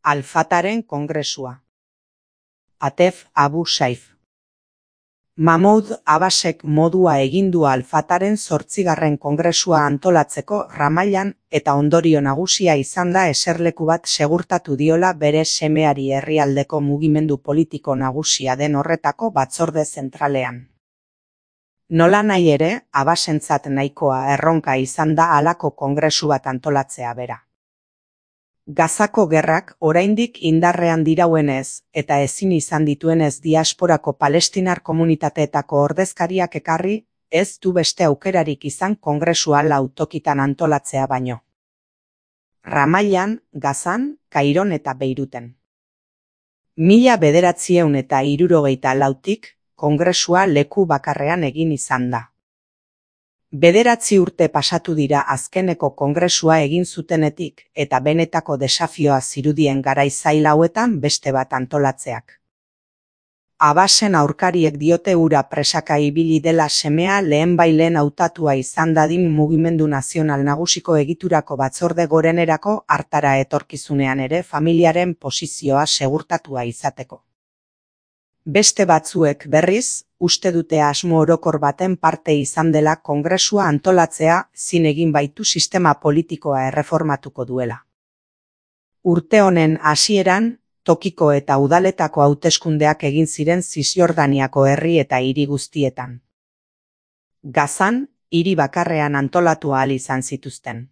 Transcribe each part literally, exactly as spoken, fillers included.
Al-Fataren kongresua. Atef Abu Saif. Mahmoud Abbasek modua egin du Al-Fataren zortzigarren kongresua antolatzeko Ramailan eta ondorio nagusia izan da eserleku bat segurtatu diola bere semeari herrialdeko mugimendu politiko nagusia den horretako batzorde zentralean. Nolanahi ere, Abbasentzat nahikoa erronka izan da halako kongresu bat antolatzea bera. Gazako gerrak oraindik indarrean dirauenez eta ezin izan dituenez diasporako palestinar komunitateetako ordezkariak ekarri, ez du beste aukerarik izan kongresua lau tokitan antolatzea baino. Ramailan, Gazan, Kairon eta Beiruten. Mila bederatziehun eta hirurogeita lautik, kongresua leku bakarrean egin izan da. Bederatzi urte pasatu dira azkeneko kongresua egin zutenetik eta benetako desafioa zirudien garai zail hauetan beste bat antolatzeak. Abbasen aurkariek diote hura presaka ibili dela semea lehenbailen hautatua izan dadin mugimendu nazional nagusiko egiturako batzorde gorenerako hartara etorkizunean ere familiaren posizioa segurtatua izateko. Beste batzuek berriz, uste dute asmo orokor baten parte izan dela kongresua antolatzea zin egin baitu sistema politikoa erreformatuko duela. Urte honen hasieran, tokiko eta udaletako hauteskundeak egin ziren Zisjordaniako herri eta hiri guztietan. Gazan, hiri bakarrean antolatu ahal izan zituzten.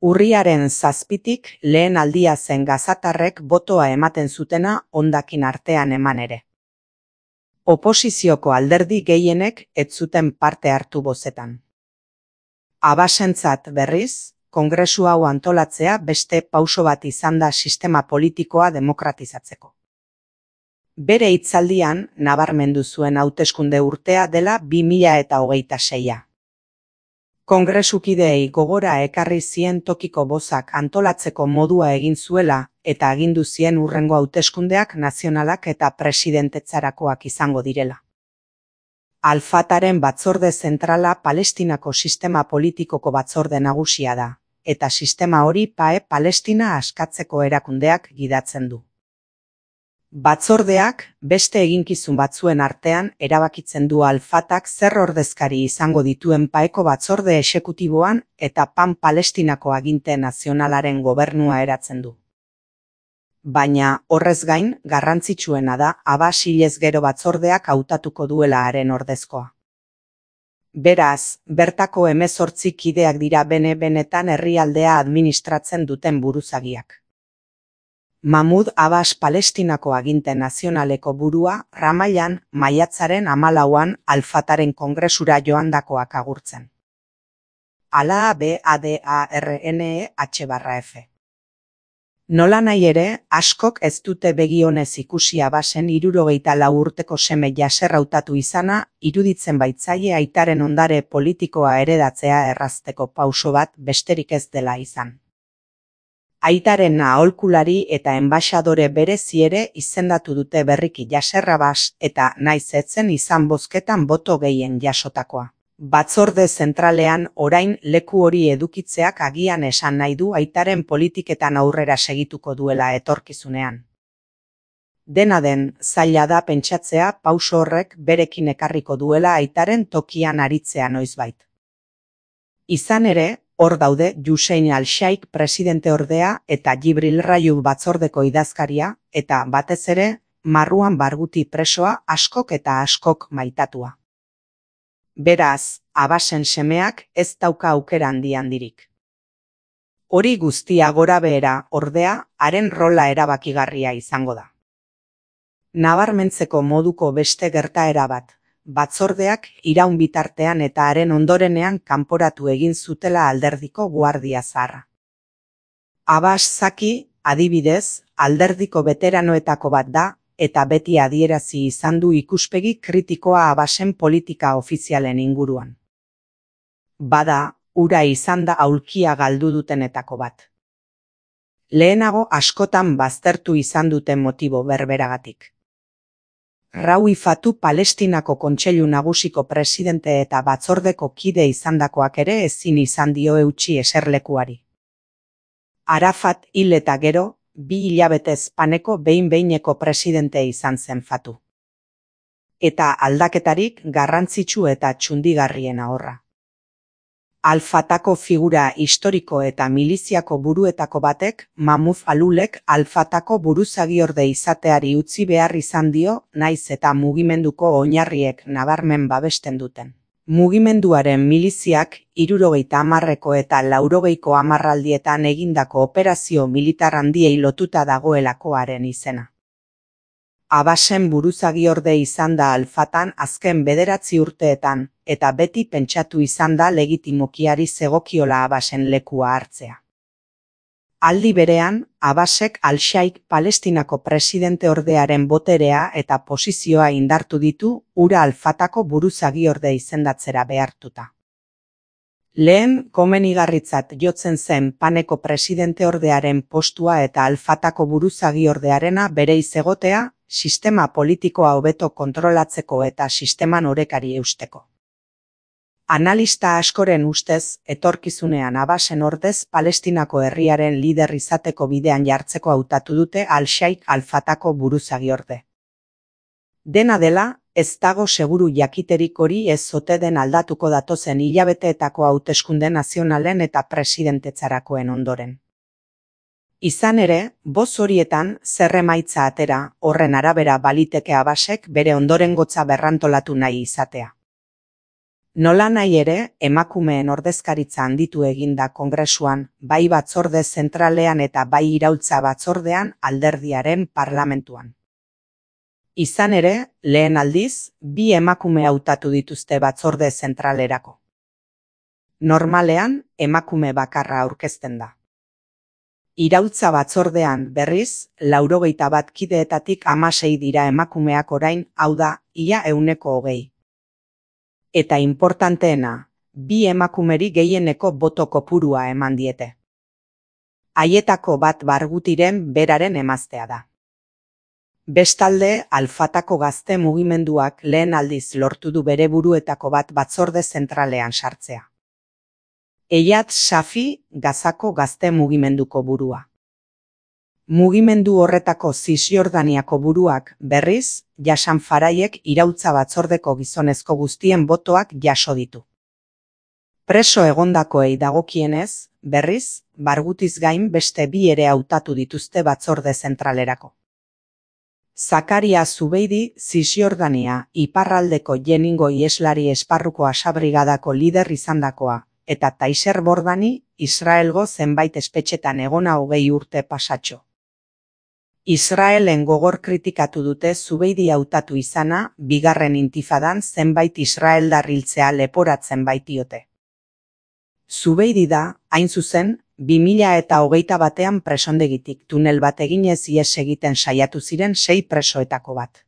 Urriaren zazpitik lehen aldia zen gazatarrek botoa ematen zutena hondakin artean eman ere. Oposizioko alderdi gehienek ez zuten parte hartu bozetan. Abbasentzat berriz, kongresu hau antolatzea beste pauso bat izan da sistema politikoa demokratizatzeko. Bere hitzaldian nabarmendu zuen hauteskunde urtea dela bi mila eta hogeita seia. Kongresukideei gogora ekarri zien tokiko bozak antolatzeko modua egin zuela eta agindu zien hurrengo hauteskundeak nazionalak eta presidentetzarakoak izango direla. Al-Fataren batzorde zentrala Palestinako sistema politikoko batzorde nagusia da, eta sistema hori P A E Palestina askatzeko erakundeak gidatzen du. Batzordeak, beste eginkizun batzuen artean erabakitzen du Al-Fatak zer ordezkari izango dituen P A Eko batzorde exekutiboan eta Pan Palestinako aginte nazionalaren gobernua eratzen du. Baina, horrez gain, garrantzitsuena da Abbas hilez gero batzordeak hautatuko duela haren ordezkoa. Beraz, bertako hemezortzi kideak dira bene-benetan herrialdea administratzen duten buruzagiak. Mahmoud Abbas Palestinako aginte nazionaleko burua Ramailan maiatzaren hamalauan Al-Fataren kongresura joandakoak agurtzen. Ala B A D A R N E H barra F. Nolanahi ere, askok ez dute begionez ikusi Abbasen hirurogeita lau urteko seme Yasser hautatu izana, iruditzen baitzaie aitaren ondare politikoa heredatzea errazteko pauso bat besterik ez dela izan. Aitaren aholkulari eta enbaxadore berezi ere izendatu dute berriki Yasser Abbas eta naiz etzen izan bozketan boto gehien jasotakoa. Batzorde zentralean orain leku hori edukitzeak agian esan nahi du aitaren politiketan aurrera segituko duela etorkizunean. Dena den, zaila da pentsatzea pauso horrek berekin ekarriko duela aitaren tokian aritzea noizbait. Izan ere, hor daude Hussein al-Shaikh presidente ordea eta Jibril Rajoub batzordeko idazkaria eta batez ere Marwan Barghouti presoa askok eta askok maitatua. Beraz, Abbasen semeak ez dauka aukera handi handirik. Hori guztia gora behera, ordea, haren rola erabakigarria izango da. Nabarmentzeko moduko beste gertaera bat, batzordeak iraun bitartean eta haren ondorenean kanporatu egin zutela alderdiko guardia zaharra. Abbas zaki, adibidez, alderdiko veteranoetako bat da, eta beti adierazi izan du ikuspegi kritikoa Abbasen politika ofizialen inguruan. Bada, hura izan da aulkia galdu dutenetako bat. Lehenago askotan baztertu izan duten motibo berberagatik. Rauifatu Palestinako Kontseilu Nagusiko presidente eta batzordeko kide izandakoak ere ezin izan dio eutsi eserlekuari. Arafat hil eta gero, bi hilabetez Paneko behin-behineko presidente izan zen Fatu. Eta aldaketarik garrantzitsu eta txundigarriena horra. Al-Fatako figura historiko eta miliziako buruetako batek, Mahmud Alulek Al-Fatako buruzagiorde izateari utzi behar izan dio, naiz eta mugimenduko oinarriek nabarmen babesten duten. Mugimenduaren miliziak hirurogeita hamarreko eta laurogeiko hamarraldietan egindako operazio militar handiei lotuta dagoelakoaren izena. Abasen buruzagiorde izan da Al-Fatan azken bederatzi urteetan, eta beti pentsatu izan da legitimokiari zegokiola Abasen lekua hartzea. Aldi berean, Abasek Al-Shaik Palestinako presidente ordearen boterea eta posizioa indartu ditu ura Al-Fatako buruzagiorde izendatzera behartuta. Lehen komenigarritzat jotzen zen Paneko presidente ordearen postua eta Al-Fatako buruzagiordearena bere izegotea, sistema politikoa hobeto kontrolatzeko eta sisteman orekari eusteko. Analista askoren ustez, etorkizunean Abasen ordez Palestinako herriaren lider izateko bidean jartzeko hautatu dute Al-Shaik Al-Fatako buruzagiorde. Dena dela, ez dago seguru jakiterik hori ez ote den aldatuko datozen hilabeteetako hauteskunde nazionalen eta presidentetzarakoen ondoren. Izan ere, boz horietan zer emaitza atera, horren arabera baliteke Abasek bere ondorengotza berrantolatu nahi izatea. Nola nahi ere, emakumeen ordezkaritza handitu eginda Kongresuan, bai batzorde zentralean eta bai iraultza batzordean alderdiaren parlamentuan. Izan ere, lehen aldiz, bi emakume hautatu dituzte batzorde zentralerako. Normalean, emakume bakarra aurkezten da. Iraultza batzordean, berriz, laurogeita bat kideetatik hamasei dira emakumeak orain, hau da, ia ehuneko hogei. Eta importanteena, bi emakumeri gehieneko boto kopurua eman diete. Haietako bat Bargutiren beraren emaztea da. Bestalde, Al-Fatako gazte mugimenduak lehen aldiz lortu du bere buruetako bat batzorde zentralean sartzea. Eyad Shafi, Gazako gazte mugimenduko burua. Mugimendu horretako Zisjordaniako buruak, berriz, Jasan Faraiek iraultza batzordeko gizonezko guztien botoak jaso ditu. Preso egondakoei dagokienez, berriz, Bargutiz gain beste bi ere hautatu dituzte batzorde zentralerako. Zakaria Zubeidi, Zisjordania, iparraldeko Jeningo ieslari esparruko asabrigadako lider izandakoa, eta Taiser Bordani, Israelgo zenbait espetxetan egona hogei urte pasatxo. Israelen gogor kritikatu dute Zubeidi hautatu izana, bigarren intifadan zenbait israeldar hiltzea leporatzen baitiote. Zubeidi da, hain zuzen, bi mila eta hogeita batean presondegitik tunel bat eginez ihes egiten saiatu ziren sei presoetako bat.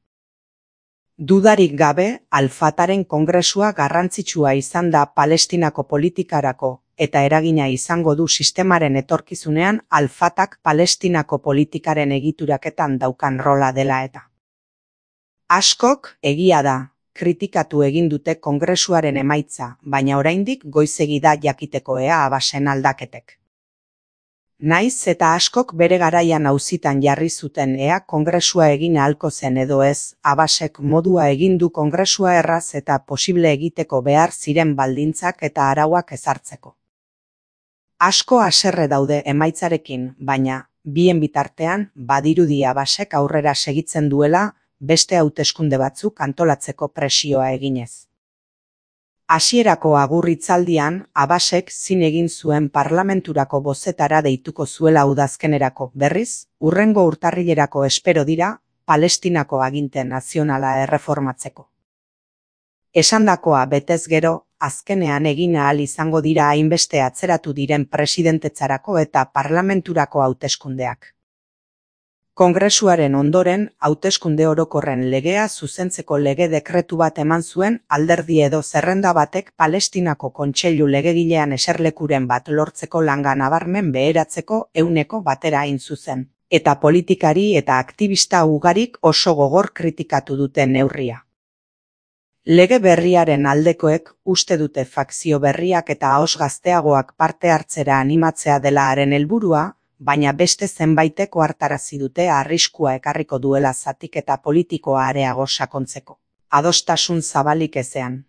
Dudarik gabe, Al-Fataren kongresua garrantzitsua izan da Palestinako politikarako, eta eragina izango du sistemaren etorkizunean Al-Fatak Palestinako politikaren egituraketan daukan rola dela eta. Askok, egia da, kritikatu egin dute kongresuaren emaitza, baina oraindik goizegi da jakiteko ea Abasen aldaketek. Naiz eta askok bere garaian auzitan jarri zuten ea kongresua egin ahalko zen edo ez, Abasek modua egin du kongresua erraz eta posible egiteko behar ziren baldintzak eta arauak ezartzeko. Asko haserre daude emaitzarekin, baina, bien bitartean, badirudi Abasek aurrera segitzen duela, beste hauteskunde batzuk antolatzeko presioa eginez. Hasierako agurritzaldian, Abasek zin egin zuen parlamenturako bozetara deituko zuela udazkenerako, berriz, hurrengo urtarrilerako espero dira, Palestinako aginte nazionala erreformatzeko. Esandakoa betez gero, azkenean egin ahal izango dira hainbeste atzeratu diren presidentetzarako eta parlamenturako hauteskundeak. Kongresuaren ondoren, hauteskunde orokorren legea zuzentzeko lege dekretu bat eman zuen alderdi edo zerrenda batek Palestinako kontseilu legegilean eserlekuren bat lortzeko langa nabarmen beheratzeko ehuneko batera hain zuzen, eta politikari eta aktivista ugarik oso gogor kritikatu duten neurria. Lege berriaren aldekoek uste dute fakzio berriak eta ahoz gazteagoak parte hartzera animatzea dela haren helburua, baina beste zenbaitek ohartarazi dute arriskua ekarriko duela zatiketa politikoa areago sakontzeko. Adostasun zabalik ezean.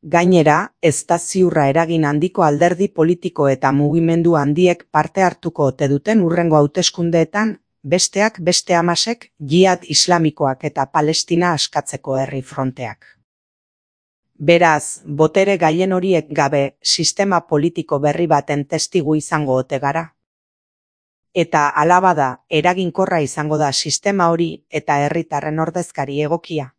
Gainera, ez da ziurra eragin handiko alderdi politiko eta mugimendu handiek parte hartuko ote duten hurrengo hauteskundeetan, besteak beste Hamasek, Jihad Islamikoak eta Palestina askatzeko herri fronteak. Beraz, botere gaien horiek gabe, sistema politiko berri baten testigu izango ote gara. Eta hala bada, eraginkorra izango da sistema hori eta herritarren ordezkari egokia.